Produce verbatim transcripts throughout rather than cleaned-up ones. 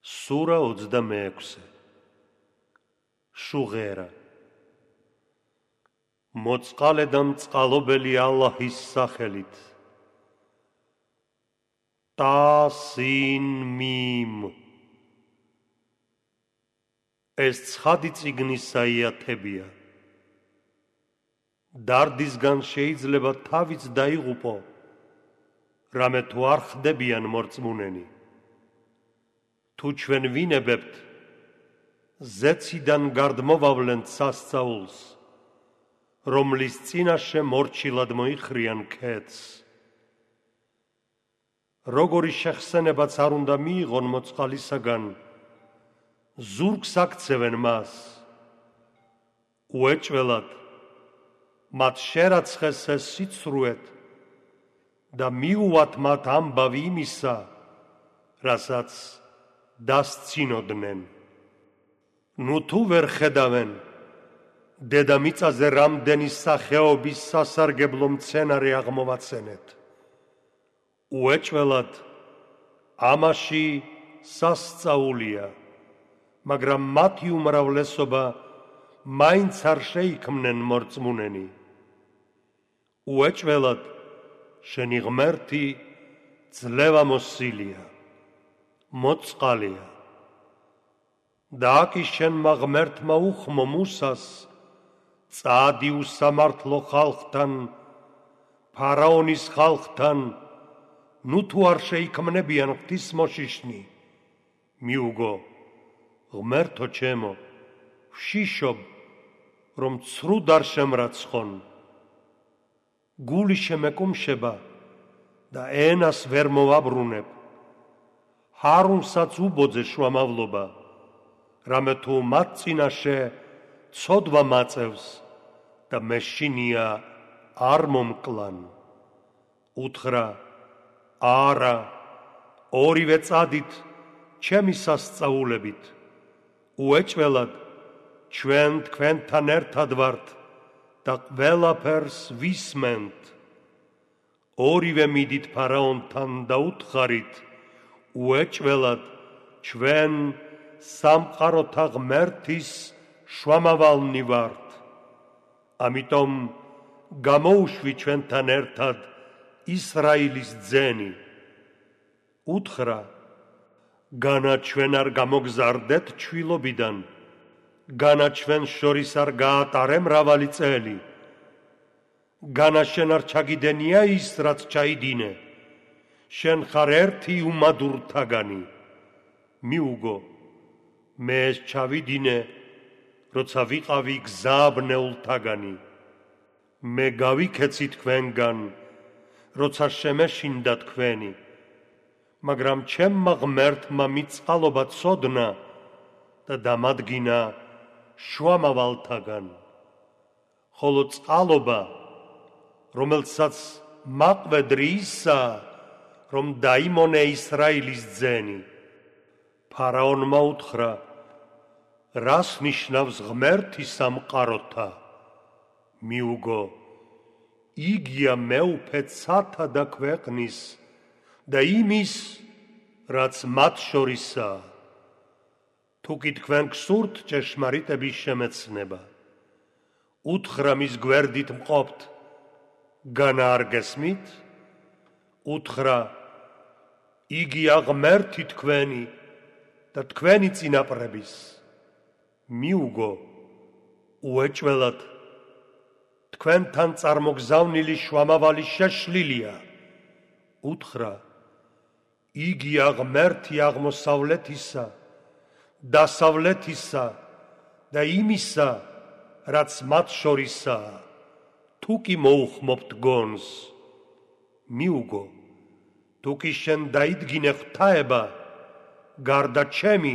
სურა ოცდამეექვსე. შუღერა. მოწყალე და მწყალობელი ალლაჰის სახელით. ტასინ მიმ. ეს ცხადი წიგნის საიათებია. დარდისგან შეიძლება თავიც დაიღუპო, რამე თუ არ ხდებიან მორწმუნენი. თუ ჩვენ ვინებებთ, ზეციდან გარდმოვავლენთ სასწაულს, რომლის წინაშე მორჩილად მოიხრიან ქედს. როგორი შეხსენებაც არ უნდა მიიღონ მოწყალისაგან, ზურგს აქცევენ მას. უეჭველად მათ შერაცხეს ეს სიცრუეთ და მიუვათ მათ ამბავი იმისა, რასაც დასცინოდნენ. ნუ თუ ვერ ხედავენ დედამიწაზე რამდენი სახეობის სასარგებლო მცენარე აღმოვაცენეთ. უეჭველად ამაში სასწაულია, მაგრამ მათი უმრავლესობა მაინც არ შეიქმნენ მორწმუნენი. უეჭველად შენი ღმერთი ძლევამოსილია, მოწყალია. და აკი შენმა ღმერთმა უხმო მუსას, წადი უსამართლო ხალხთან, ფარაონის ხალხთან, ნუ თუ არ შეიქმნებიან ღვთისმოშიშნი. მიუგო, ღმერთო ჩემო, ვშიშობ, რომ ცრუდ არ შემრაცხონ. გული შემეკუმშება და ენას ვერ მოვაბრუნებ. ჰარუნსაც უბოძე შუამავლობა, რამე თუ მათ წინაშე ცოდვა მაწევს და მეშინია არ მომკლან. უთხრა, არა, ორივე წადით ჩემი სასწაულებით. უეჭველად ჩვენ თქვენთან ერთად ვართ და ყველაფერს ვისმენთ. ორივე მიდით ფარაონთან და უთხარით, უეჭველად ჩვენ სამყაროთა ღმერთის შუამავალნი ვართ. ამიტომ გამოუშვი ჩვენთან ერთად ისრაილის ძენი. უთხრა, განა ჩვენ არ გამოგზარდეთ ჩვილობიდან, განა ჩვენ შორის არ გაატარე მრავალი წელი, განა შენ არ ჩაგიდენია ის, რაც ჩაიდინე, შენ ხარ ერთი უმადურთაგანი. მიუგო, მე ეს ჩავიდინე, როცა ვიყავი გზააბნეულთაგანი. მე გავიქეცი თქვენგან, როცა შემეშინდა თქვენი, მაგრამ ჩემმა ღმერთმა მიწყალობა ცოდნა და დამადგინა შუამავალთაგან. ხოლო წყალობა, რომელსაც მაყვედრი ისაა, რომ დაიმონე ისრაილის ძენი. ფარაონმა უთხრა, რას ნიშნავს ღმერთი სამყაროთა? მიუგო, იგია მეუფე ცათა და ქვეყნის და იმის, რაც მათ შორისაა. თუ კი თქვენ გსურთ ჭეშმარიტების შემეცნება, უთხრა მის გვერდით მყოფთ, განა არ გესმით? უთხრა, იგია ღმერთი თქვენი და თქვენი წინაპრების. მიუგო, უეჭველად თქვენთან წარმოგზავნილი შუამავალი შეშლილია. უთხრა, იგია ღმერთი აღმოსავლეთისა, დასავლეთისა და იმისა, რაც მათ შორისაა. თუ კი მოუხმობთ გონს. მიუგო, თუ კი შენ დაიდგინე ღვთაება, გარდა ჩემი,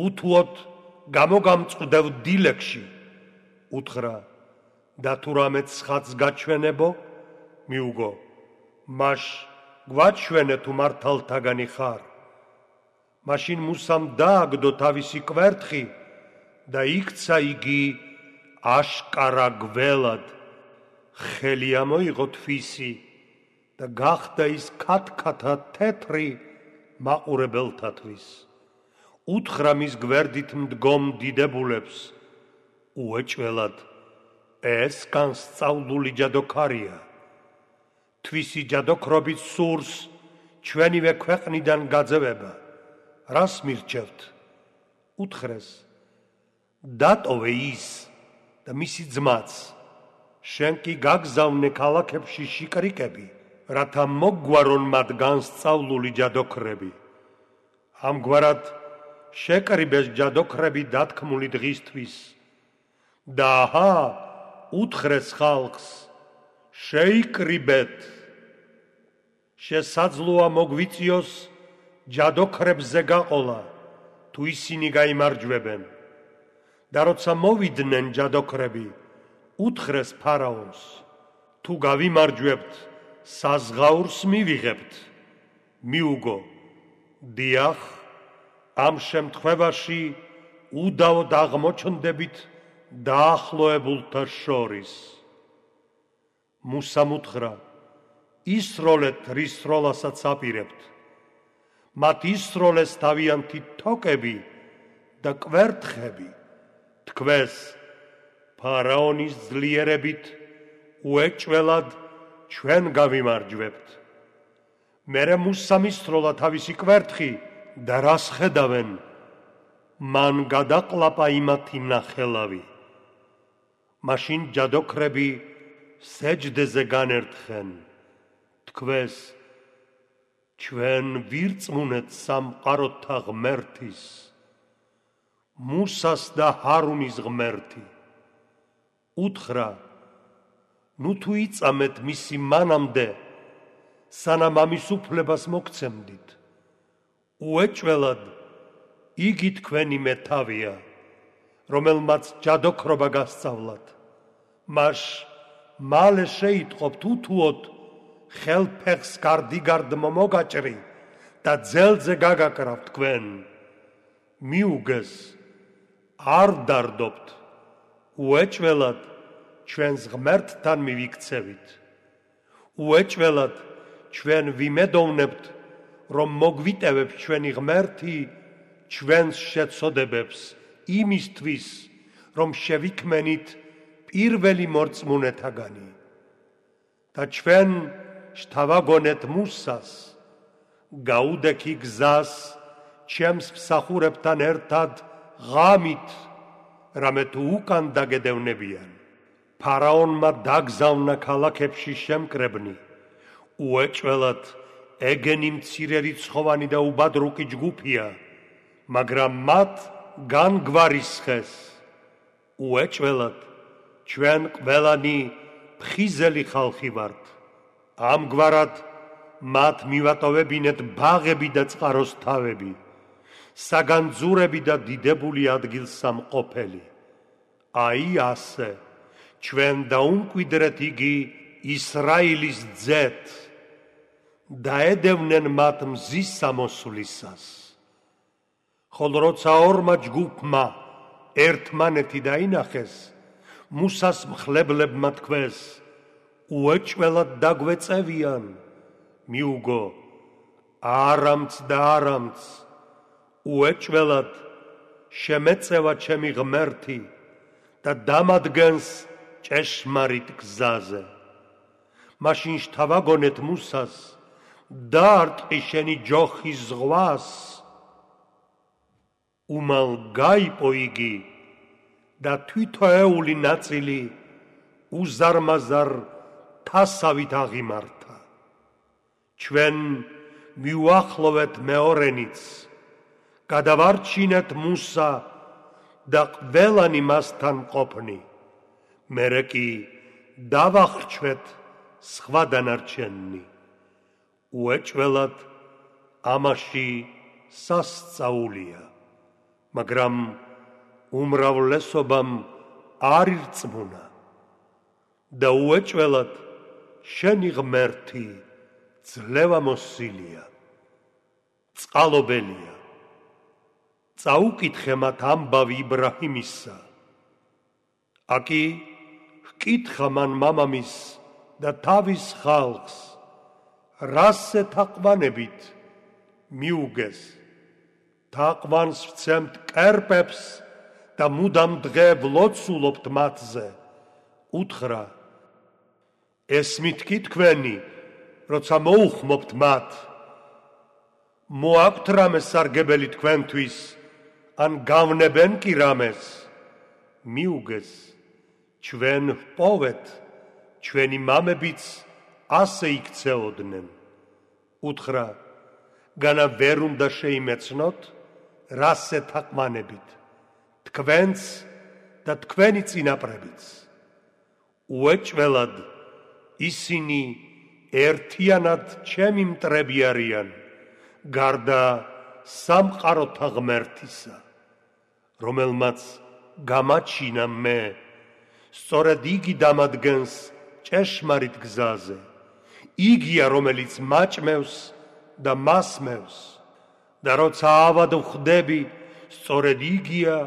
უთუოდ გამოგამწყდევ დილეგში. უთხრა, და თუ რამე ცხადს გაჩვენებო? მიუგო, მაშ გვაჩვენე თუ მართალთაგანი ხარ. მაშინ მუსამ დააგდო თავისი კვერთხი და იქცა იგი აშკარა გველად. ხელი ამოიღო თვისი და გახდა ის ქათქათა თეთრი მაყურებელთათვის. უთხრა მის გვერდით მდგომ დიდებულებს, უეჭველად, ეს განსწავლული ჯადოქარია. თვისი ჯადოქრობით სურს ჩვენივე ქვეყნიდან გაძევება. რას მირჩევთ? უთხრეს, დატოვე ის და მისი ძმაც, შენ კი გაგზავნე ქალაქებში შიკრიკები, რათა მოგგვარონ მათ განსწავლული ჯადოქრები. ამგვარად შეკრიბეს ჯადოქრები დათქმული დღისთვის. და აჰა, უთხრეს ხალხს, შეიკრიბეთ. შესაძლოა მოგვიწიოს ჯადოქრებზე გაყოლა, თუ ისინი გაიმარჯვებენ. და როცა მოვიდნენ ჯადოქრები, უთხრეს ფარაონს, თუ გავიმარჯვებთ, საზღაურს მივიღებთ. მიუგო, დიახ, ამ შემთხვევაში უდავოდ აღმოჩნდებით დაახლოებულთა შორის. მუსამ უთხრა, ისროლეთ რის სროლასაც აპირებთ. მათ ისროლეს თავიანთი თოკები და კვერთხები. თქვეს, ფარაონის ძლიერებით უეჭველად ჩვენ გავიმარჯვებთ. მერე მუსამ ისროლა თავისი კვერთხი და რას ხედავენ? მან გადაყლაპა იმათი ნახელავი. მაშინ ჯადოქრები სეჯდეზე განერთხენ. თქვეს, ჩვენ ვირწმუნეთ სამყაროთა ღმერთის, მუსას და ჰარუნის ღმერთი. უთხრა, ნუ თუ იწამეთ მისი მანამდე, სანამ ამის უფლებას მოგცემდით. უეჭველად, იგი თქვენი მეთავია, რომელმაც ჯადოქრობა გასწავლათ. მას მალე შეიტყობთ უთუოდ ხელფეხს გარდიგარდ მომოგაჭრი და ძელზე გაგაკრავთ თქვენ. მიუგეს, არ დარდობთ, უეჭველად ჩვენს ღმერთთან მივიქცევით. უეჭველად ჩვენ ვიმედოვნებთ, რომ მოგვიტევებს ჩვენი ღმერთი ჩვენს შეცოდებებს იმისთვის, რომ შევიქმენით პირველი მორწმუნეთაგანი. და ჩვენ შთავაგონეთ მუსას, გაუდექი გზას ჩემს მსახურებთან ერთად ღამით, რამე თუ უკან დაგედევნებიან. ფარაონმა დაგზავნა ქალაქებში შემკრებნი. უეჭველად ეგენი მცირერიცხოვანი და უბადრუკი ჯგუფია, მაგრამ მათ განგვარისხეს. უეჭველად ჩვენ ყველანი ფხიზელი ხალხი ვართ. ამგვარად მათ მივატოვებინეთ ბაღები და წყაროს თავები, საგანძურები და დიდებული ადგილსამყოფელი. აი ასე ჩვენ დაუმკვიდრეთ იგი ისრაილის ძეთ, დაედევნენ მათ მზის სამოსვლისას. ხოლო როცა ორმა ჯგუფმა ერთმანეთი დაინახეს, მუსას მხლებლებმა თქვეს, უეჭველად დაგვეწევიან. მიუგო, არამც და არამც, უეჭველად შემეწევა ჩემი ღმერთი და დამადგენს ჭეშმარიტ გზაზე. მაშინ შთავაგონეთ მუსას, დაარტყი შენი ჯოხის ზღვას. უმალ გაიპო იგი და თვითოეული ნაწილი უზარმაზარ თასავით აღიმართა. ჩვენ მივუახლოვეთ მეორენიც, გადავარჩინეთ მუსა და ყველანი მასთან ყოფნი. მერე კი დავახრჩვეთ სხვა დანარჩენი. უეჭველად ამაში სასწაულია, მაგრამ უმრავლესობამ არ ირწმუნა. და უეჭველად შენი ღმერთი ძლევამოსილია, წყალობელია. წაუკითხე მათ ამბავი იბრაჰიმისა. აკი ჰკითხა მან მამამის და თავის ხალხს, რას ეთაყვანებით? მიუგეს, თაყვანს ვცემთ კერპებს და მუდამ დღე ვლოცულობთ მათზე. უთხრა: ეს მითქი თქვენი, როცა მოუხმობთ მათ. მოაქვთ რამე სარგებელი თქვენთვის, ან გავნებენ კი რამეს? მიუგეს, ჩვენ ვპოვეთ, ჩვენი მამებიც ასე იქცეოდნენ. უთხრა: განა ვერ უნდა შეიმეცნოთ, რასე თაყვანებით, თქვენც და თქვენი წინაპრებიც. უეჭველად ისინი ერთიანად ჩემი მტრები არიან, გარდა სამყაროთა ღმერთისა, რომელმაც გამაჩინა მე, სწორედ იგი დამადგენს ჭეშმარიტ გზაზე. იგია, რომელიც მაჭმევს და მასმევს, და როცა ავად ვხდები, სწორედ იგია,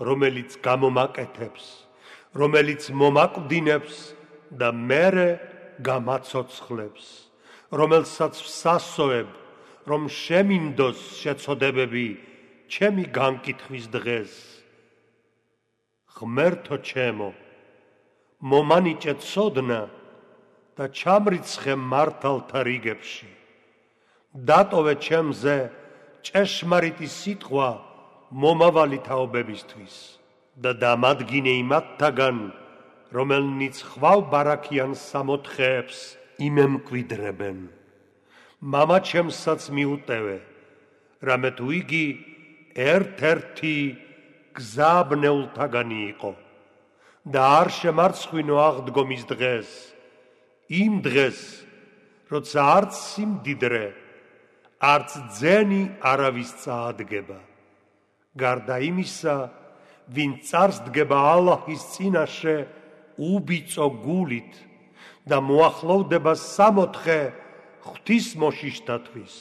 რომელიც გამომაკეთებს, რომელიც მომაკვდინებს და მერე გამაცოცხლებს, რომელსაც ვსასოებ, რომ შემინდოს შეცოდებები ჩემი განკითხვის დღეს. ღმერთო ჩემო, მომანიჭე ცოდნა და ჩამრიცხე მართალთა რიგებში. დატოვე ჩემზე ჭეშმარიტი სიტყვა მომავალი თაობებისთვის და დამადგინე იმათთაგან, რომელნიც ხვალ ბარაქიან სამოთხეებს იმემკვიდრებენ. მამა ჩემსაც მიუტევე, რამე თუ იგი ერთ-ერთი გზაბნეულთაგანი იყო და არ შემარცხვინო აღდგომის დღეს, იმ დღეს, როცა არც სიმდიდრე, არც ძენი არავის წაადგება. გარდა იმისა, ვინ წარს დგება ალლაჰის წინაშე უბიწო გულით და მოახლოვდება სამოთხე ღვთისმოშიშთათვის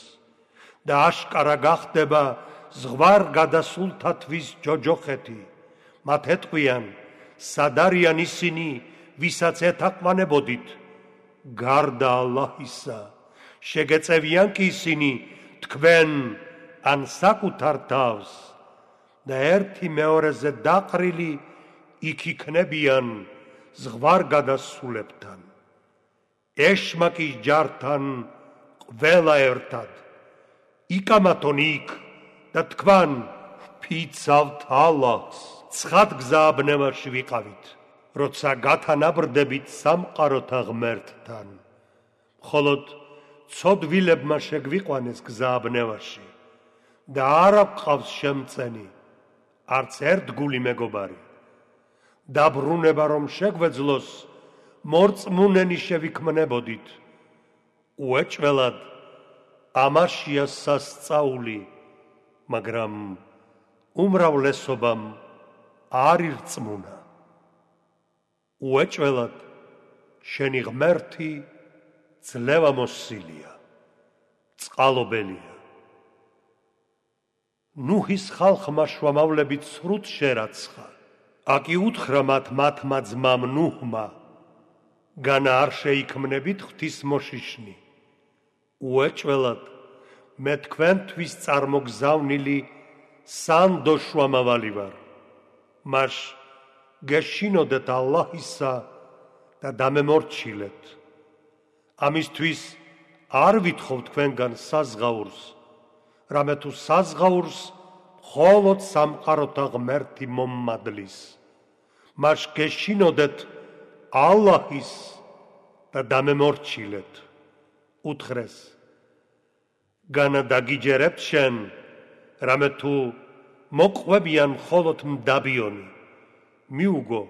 და აშკარა გახდება ზღვარგადასულთათვის ჯოჯოხეთი. მათ ეტყვიან: სად არიან ისინი, ვისაც ეთაყვანებოდით? გარდა ალლაჰისა, შეგეწევიან კი ისინი თქვენ ან საკუთარ თავს და ერთი მეორეზე დაყრილი იქ იქნებიან ზღვარგადასულებთან. ეშმაკის ჯართან ყველა ერთად. იკამათონ იქ და თქვან ვფიცავთ ალლაჰს. ცხად გზააბნევაში ვიყავით, როცა გათანაბრდებით სამყაროთა ღმერთთან. მხოლოდ ცოდვილებმა შეგვიყვანეს გზააბნევაში და არა გვყავს შემწენი, არც ერთგული მეგობარი. დაბრუნება რომ შეგვეძლოს, მორწმუნენი შევიქმნებოდით. უეჭველად ამაშია სასწაული, მაგრამ უმრავლესობამ არ ირწმუნა. უეჭველად შენი ღმერთი ძლევამოსილია, წყალობელია. ნუჰის ხალხმა შუამავლებით სრუტ შერაცხა. აკი უთხრა მათ მათმა ძმამ ნუჰმა: განა არ შეიქმნებით ღვთისმოშიშნი. უეჭველად მე თქვენთვის წარმოგზავნილი სანდო შუამავალი ვარ. მას გეშინოდეთ ალლაჰისა და დამემორჩილეთ. ამისთვის არ ვითხოვ თქვენგან საზღაურს, რამე თუ საზღაურს მხოლოდ სამყაროთა ღმერთი მომმადლის. მას გეშინოდეთ ალლაჰის და დამემორჩილეთ. უთხრეს: განა დაგიჯერებთ შენ, რამე თუ მოყვებიან მხოლოდ მდაბიონი. მიუგო,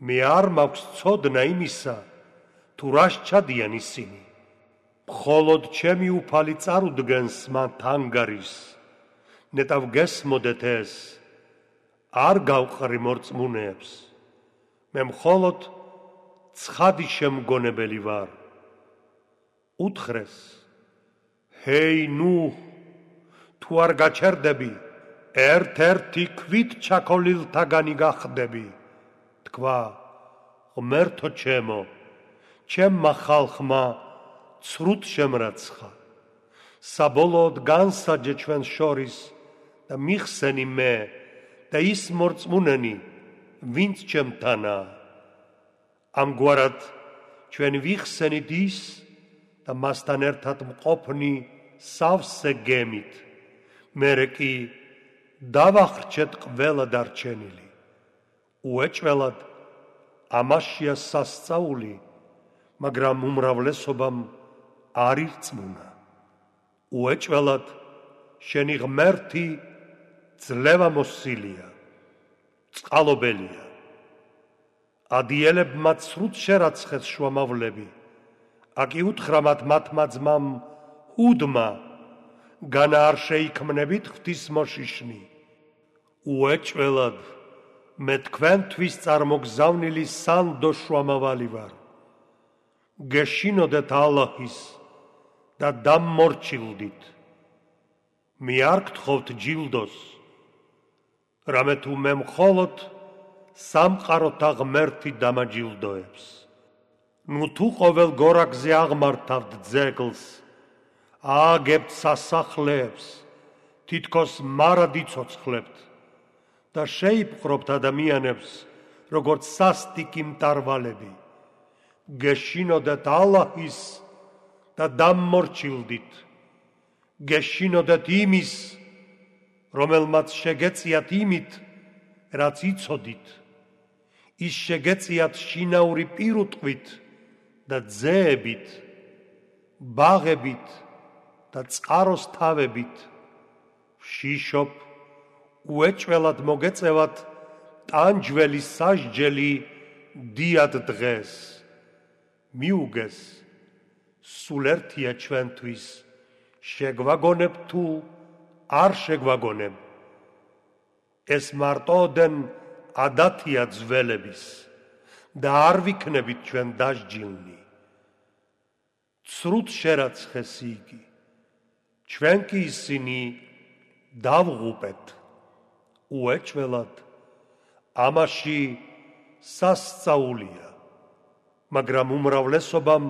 მე არ მაქვს ცოდნა იმისა, თუ რას ჩადიან ისინი. მხოლოდ ჩემი უფალი წარუდგენს მათ ანგარიშს. ნეტავ გესმოდეთ ეს, არ გავყრი მორწმუნეებს. მე მხოლოდ ცხადი შემგონებელი ვარ. უთხრეს: ჰეი ნუჰ, თუ არ გაჩერდები, ერთ-ერთი ქვით ჩაქოლილთაგანი გახდები. თქვა: ღმერთო ჩემო, ჩემმა ხალხმა ცრუთ შემრაცხა. საბოლოოდ განსაჯე ჩვენს შორის და მიხსენი მე და ის მორწმუნენი, ვინც ჩემთანაა. ამგვარად ჩვენ ვიხსენით ის და მასთან ერთად მყოფნი სავსე გემით. მერე კი დავახრჩეთ ყველა დარჩენილი. უეჭველად ამაშია სასწაული, მაგრამ უმრავლესობამ არ ირწმუნა. უეჭველად შენი ღმერთი ძლევა მოსილია, წყალობელია. ადიელებმა ცრუც შერაცხეს შუამავლები, აკი უთხრა მათ მათმა ძმამ ჰუდმა, განა არ შეიქმნებით ღვთისმოშიშნი. უეჭველად მე თქვენთვის წარმოგზავნილი სანდო შუამავალი ვარ. გეშინოდეთ ალაჰის და დამმორჩილდით. მე არ გთხოვთ ჯილდოს, რამე თუ მე მხოლოდ სამყაროთა ღმერთი დამაჯილდოებს. ნუ თუ ყოველ გორაკზე აღმართავთ ძეგლს, ააგებთ სასახლეებს, თითქოს მარად იცოცხლებთ და შეიპყრობთ ადამიანებს, როგორც სასტიკი მტარვალები. გეშინოდეთ ალაჰის და დამმორჩილდით. გეშინოდეთ იმის, რომელმაც შეგეწიათ იმით, რაც იცოდით. ის შეგეწიათ შინაური პირუტყვით და ძეებით, ბაღებით და წყაროს თავებით. შიშობ, უეჭველად მოგეწევათ ტანჯველი სასჯელი დიად დღეს. მიუგეს, სულ ერთია ჩვენთვის, შეგვაგონებ თუ არ შეგვაგონებ. ეს მარტოდენ ადათია ძველების და არ ვიქნებით ჩვენ დასჯილნი. ცრუთ შერაცხეს იგი, ჩვენ კი ისინი დავღუპეთ. უეჭველად ამაში სასწაულია, მაგრამ უმრავლესობამ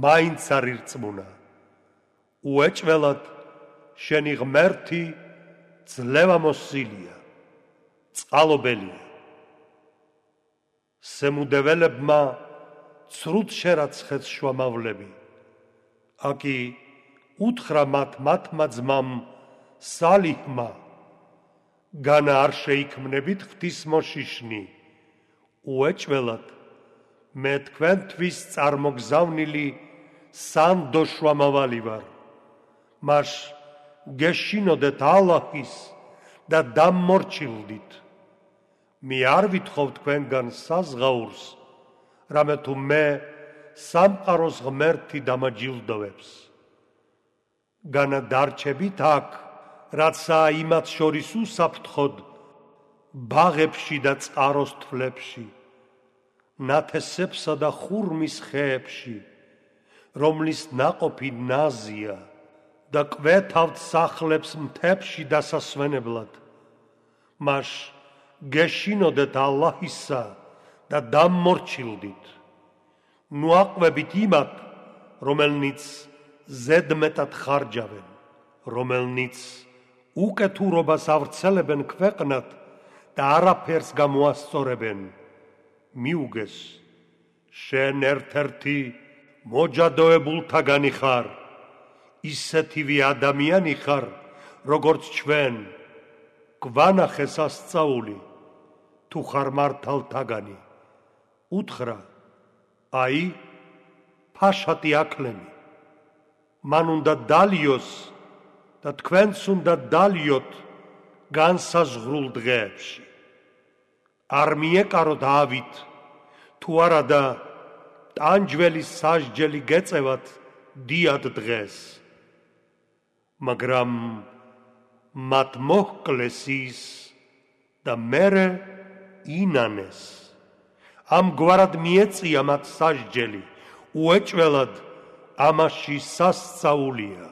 მაინც არ ირწმუნა. უეჭველად შენი ღმერთი ძლევა მოსილია, წყალობელია. სემუდეველებმა ცრუთ შერაცხეს შუამავლები, აკი უთხრა მათ მათმა ძმამ სალიჰმა, განა არ შეიქმნებით ღვთისმოშიშნი. უეჭველად მე თქვენთვის წარმოგზავნილი სანდო შუამავალი ვარ. მას გეშინოდეთ ალაჰის და დამმორჩილდით. მე არ ვითხოვ თქვენგან საზღაურს, რამე თუ მე სამყაროს ღმერთი დამაჯილდოვებს. განა დარჩებით აქ, რაცა იმათ შორის უსაფრთხოდ, ბაღებში და წყაროს თვლებში, ნათესებსა და ხურმის ხეებში, რომლის ნაყოფი ნაზია და კვეთავთ სახლებს მთებში დასასვენებლად. მას გეშინოდეთ ალაჰისა და დამმორჩილდით. ნუ აყვებით იმათ, რომელნიც ზედმეტად ხარჯავენ, რომელნიც უკეთურობას ავრცელებენ ქვეყნად და არაფერს გამოასწორებენ. მიუგეს, შენ ერთ-ერთი მოჯადოებულთაგანი ხარ, ისეთივე ადამიანი ხარ, როგორც ჩვენ. გვანახე სასწაული, თუ ხარ მართალთაგანი. უთხრა, აი, ფაშატი აკლენი. მან უნდა დალიოს და თქვენც უნდა დალიოთ განსაზღვრულ დღეებში. არ მიეკაროთ ავით, თუ არადა ტანჯველი სასჯელი გეწევათ დიად დღეს. მაგრამ მათ მოჰკლეს ის და მერე ინანეს. ამგვარად მიეწია მათ სასჯელი, უეჭველად ამაში სასწაულია,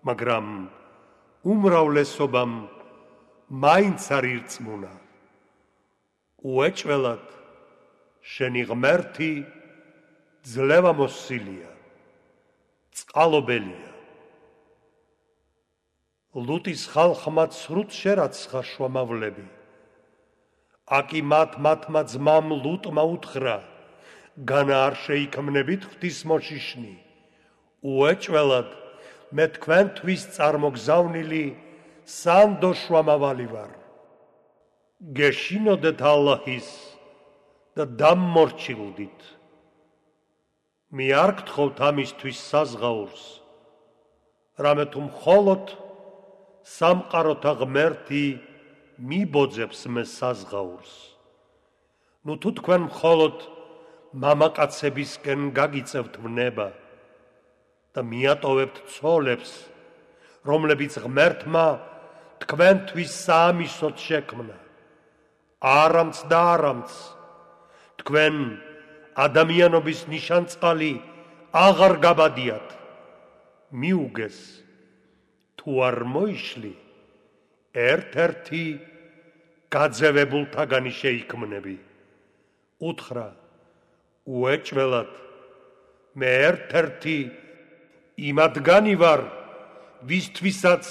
მაგრამ უმრავლესობამ მაინც არ ირწმუნა. უეჭველად შენი ღმერთი ძლევა მოსილია, წყალობელია. ლუტის ხალხმა ცრუც შერაცხა შუამავლები. აკი მათ მათმა ძმამ ლუტმა უთხრა, განა არ შეიქმნებით ღვთისმოშიშნი. უეჭველად მე თქვენთვის წარმოგზავნილი სანდო შუამავალი ვარ. გეშინოდეთ ალლაჰის და დამმორჩილდით. მე არ გთხოვთ ამისთვის საზღაურს, რამე თუ მხოლოდ სამყაროთა ღმერთი მიბოძებს მე საზღაურს. ნუ თუ თქვენ მხოლოდ მამაკაცებისკენ გაგიწევთ ვნება და მიატოვებთ ცოლებს, რომლებიც ღმერთმა თქვენთვის საამისოდ შექმნა, არამც და არამც, თქვენ ადამიანობის ნიშანწყალი აღარ გაბადიათ. მიუგეს, თუ არ მოიშლი, ერთ-ერთი გაძევებულთაგანი შეიქმნები. უთხრა, უეჭველად, მე ერთ-ერთი იმადგანი ვარ, ვისთვისაც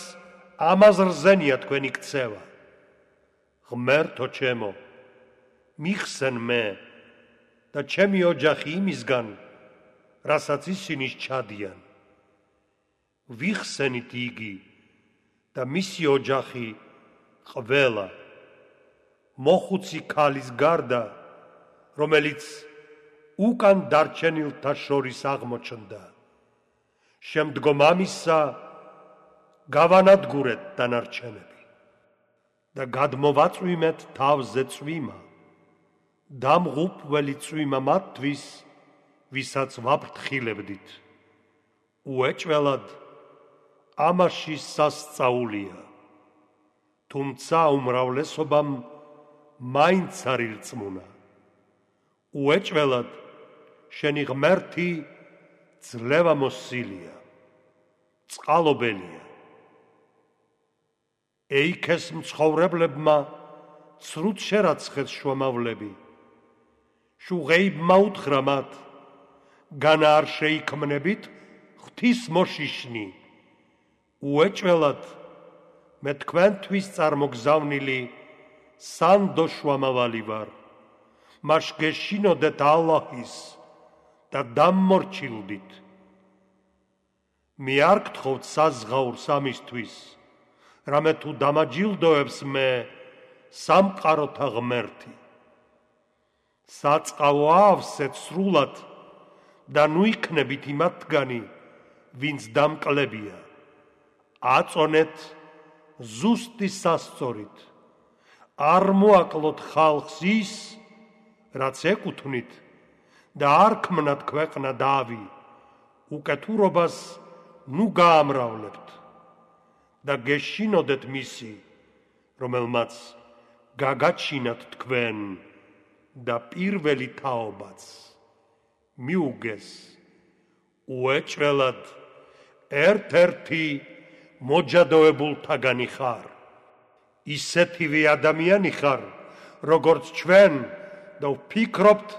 ამაზრზენია თქვენი ქცევა. ღმერთო ჩემო, მიხსენ მე და ჩემი ოჯახი იმისგან, რასაც ისინი სჩადიან. ვიხსენით იგი და მისი ოჯახი ყველა, მოხუცი ქალის გარდა, რომელიც უკან დარჩენილთა შორის აღმოჩნდა. შემდგომ ამისა გავანადგურეთ დანარჩენები და გადმოვაწვიმეთ თავზე წვიმა, დამღუპველი წვიმა მათთვის, ვისაც ვაფრთხილებდით. უეჭველად ამაში სასწაულია, თუმცა უმრავლესობამ მაინც არ ირწმუნა. უეჭველად შენი ღმერთი ძლევამოსილია, წყალობელია. ეიქეს მცხოვრებლებმა ცრუც შერაცხეს შუამავლები. შუღეიბმა უთხრა მათ, განა არ შეიქმნებით ღვთისმოშიშნი. უეჭველად მე თქვენთვის წარმოგზავნილი სანდო შუამავალი ვარ. მას გეშინოდეთ ალლაჰის და დამმორჩილდით. მე არ გთხოვთ საზღაურს ამისთვის, რამე თუ დამაჯილდოებს მე სამყაროთა ღმერთი. საწყავო ავსეთ სრულად და ნუ იქნებით იმათგანი, ვინც დამკლებია. აწონეთ ზუსტი სასწორით. არ მოაკლოთ ხალხს ის, რაც ეკუთვნით და არ ქმნათ ქვეყნა დავი, უკეთურობას ნუ გაამრავლებთ და გეშინოდეთ მისი, რომელმაც გაგაჩინათ თქვენ და პირველი თაობაც. მიუგეს, უეჭველად ერთ-ერთი მოჯადოებულთაგანი ხარ. ისეთივე ადამიანი ხარ, როგორც ჩვენ და ვფიქრობთ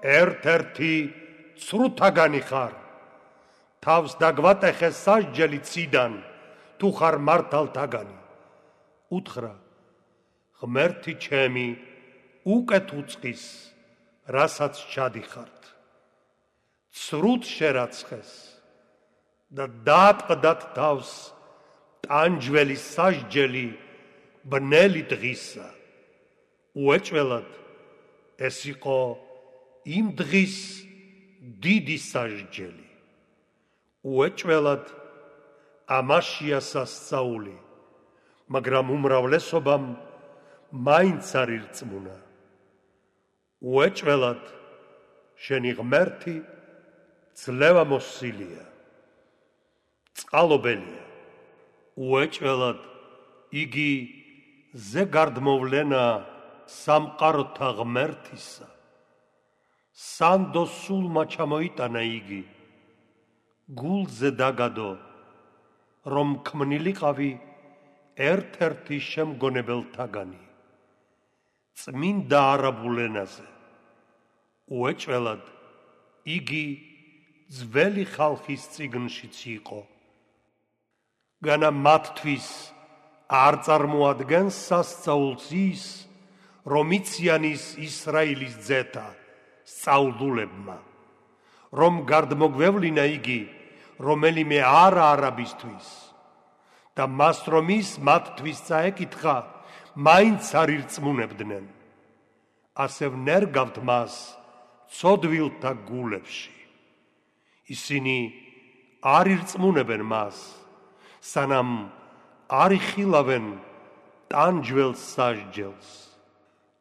ერთ-ერთი ცრუთაგანი ხარ. თავს დაგვატეხე სასჯელი ციდან, თუ ხარ მართალთაგანი. უთხრა, ღმერთი ჩემი უკეთ უწყის, რასაც ჩადიხართ. ცრუთ შერაცხეს და დაატყდათ თავს ტანჯველი სასჯელი ბნელი დღისა. უეჭველად ეს იყო იმ დღის დიდი სასჯელი. უეჭველად ამაშია სასწაული, მაგრამ უმრავლესობამ მაინც არ ირწმუნა. უეჭველად შენი ღმერთი ძლევამოსილია, წყალობელია. უეჭველად იგი ზეგარდმოვლენა სამყაროთა ღმერთისა. სანდო სულმა ჩამოიტანა იგი, გულზე დაგადო, რომ ქმნილიყავი ერთ-ერთი შემგონებელთაგანი, წმინდა არაბულ ენაზე. უეჭველად იგი ძველი ხალხის წიგნშიც იყო. განა მათთვის არ წარმოადგენს სასწაულს ის, რომ იციან ის ისრაელის ძეთა სწავლულებმა, რომ გარდმოგვევლინა იგი რომელიმე არა არაბისთვის და მას რომ ის მათთვის წაეკითხა, მაინც არ ირწმუნებდნენ. ასე ვნერგავთ მას ცოდვილთა გულებში. ისინი არ ირწმუნებენ მას, სანამ არ იხილავენ ტანჯველს სასჯელს.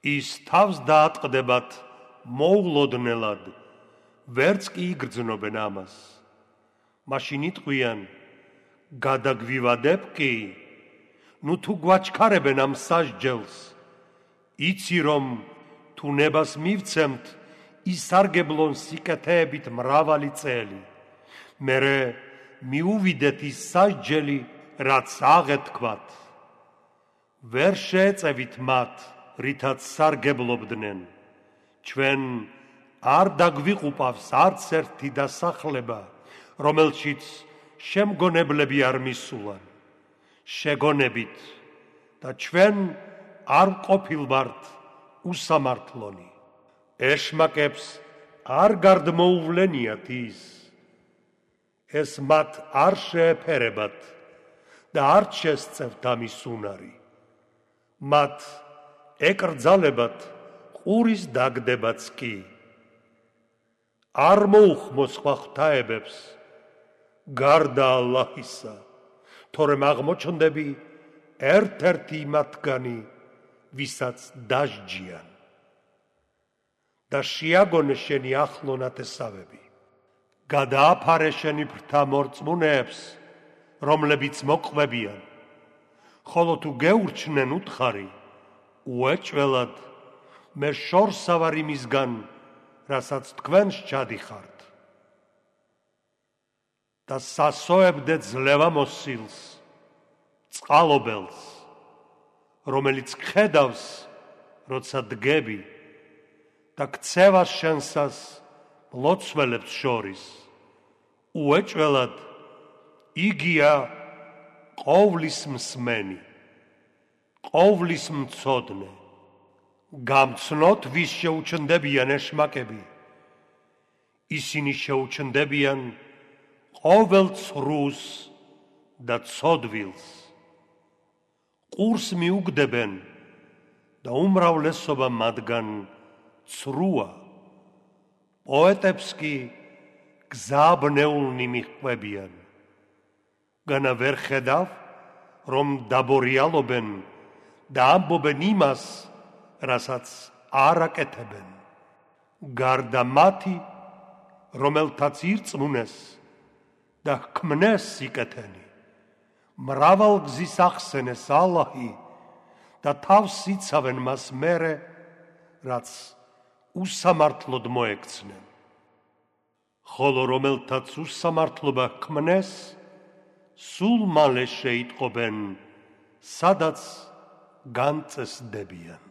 ის თავს დაატყდებათ მოულოდნელად, ვერც კი იგრძნობენ ამას. მაშინ იტყვიან, გადაგვივადებ კი, ნუ თუ გვაჩქარებენ ამ სასჯელს, იცი რომ თუ ნებას მივცემთ, ისარგებლონ სიკეთეებით მრავალი წელი. მერე მიუვიდეთ ის სასჯელი, რაც აღეთქვათ. ვერ შეეწევით მათ, რითაც სარგებლობდნენ. ჩვენ არ დაგვიყუპავს არც ერთი დასახლება, რომელშიც შემგონებლები არ მისულან. შეგონებით და ჩვენ არ ყოფილვართ უსამართლონი. ეშმაკებს არ გარდმოუვლენიათ ის. ეს მათ არ შეეფერებათ და არ შესწევთ ამის უნარი. მათ ეკრძალებათ ყურის დაგდებაც კი. არ მოუხმოს სხვა ღვთაებებს გარდა ალლაჰისა, თორემ აღმოჩნდები ერთ-ერთი მათგანი, ვისაც დასჯიან. და შეაგონე შენი ახლო ნათესავები. გადააფარე შენი ბრთა მორწმუნეებს, რომლებიც მოყვებიან, ხოლო თუ გეურჩნენ უთხარი, უეჭველად მე შორსა ვარ იმისგან, რასაც თქვენ სჩადიხართ. და სასოებდე ძლევამოსილს, წყალობელს, რომელიც ხედავს, როცა დგები, და ქცევას შენსას მლოცველებს შორის. უეჭველად იგია ყოვლის მსმენი, ყოვლის მცოდნე. გამცნოთ ვის შეუჩნდებიან ეშმაკები. ისინი შეუჩნდებიან ყოველ ცრუს და ცოდვილს. ყურს მიუგდებენ და უმრავლესობა მათგან ცრუა. პოეტებს კი გზაბნეულნი მიჰყვებიან. განა ვერ ხედავ, რომ დაბორიალობენ და ამბობენ იმას, რასაც არ აკეთებენ. გარდა მათი, რომელთაც ირწმუნეს და ჰქმნეს სიკეთენი, მრავალ გზის ახსენეს ალლაჰი და თავს იცავენ მას მერე, რაც უსამართლოდ მოექცნენ. ხოლო რომელთაც უსამართლობა ჰქმნეს, სულ მალე შეიტყობენ, სადაც განწესდებიან.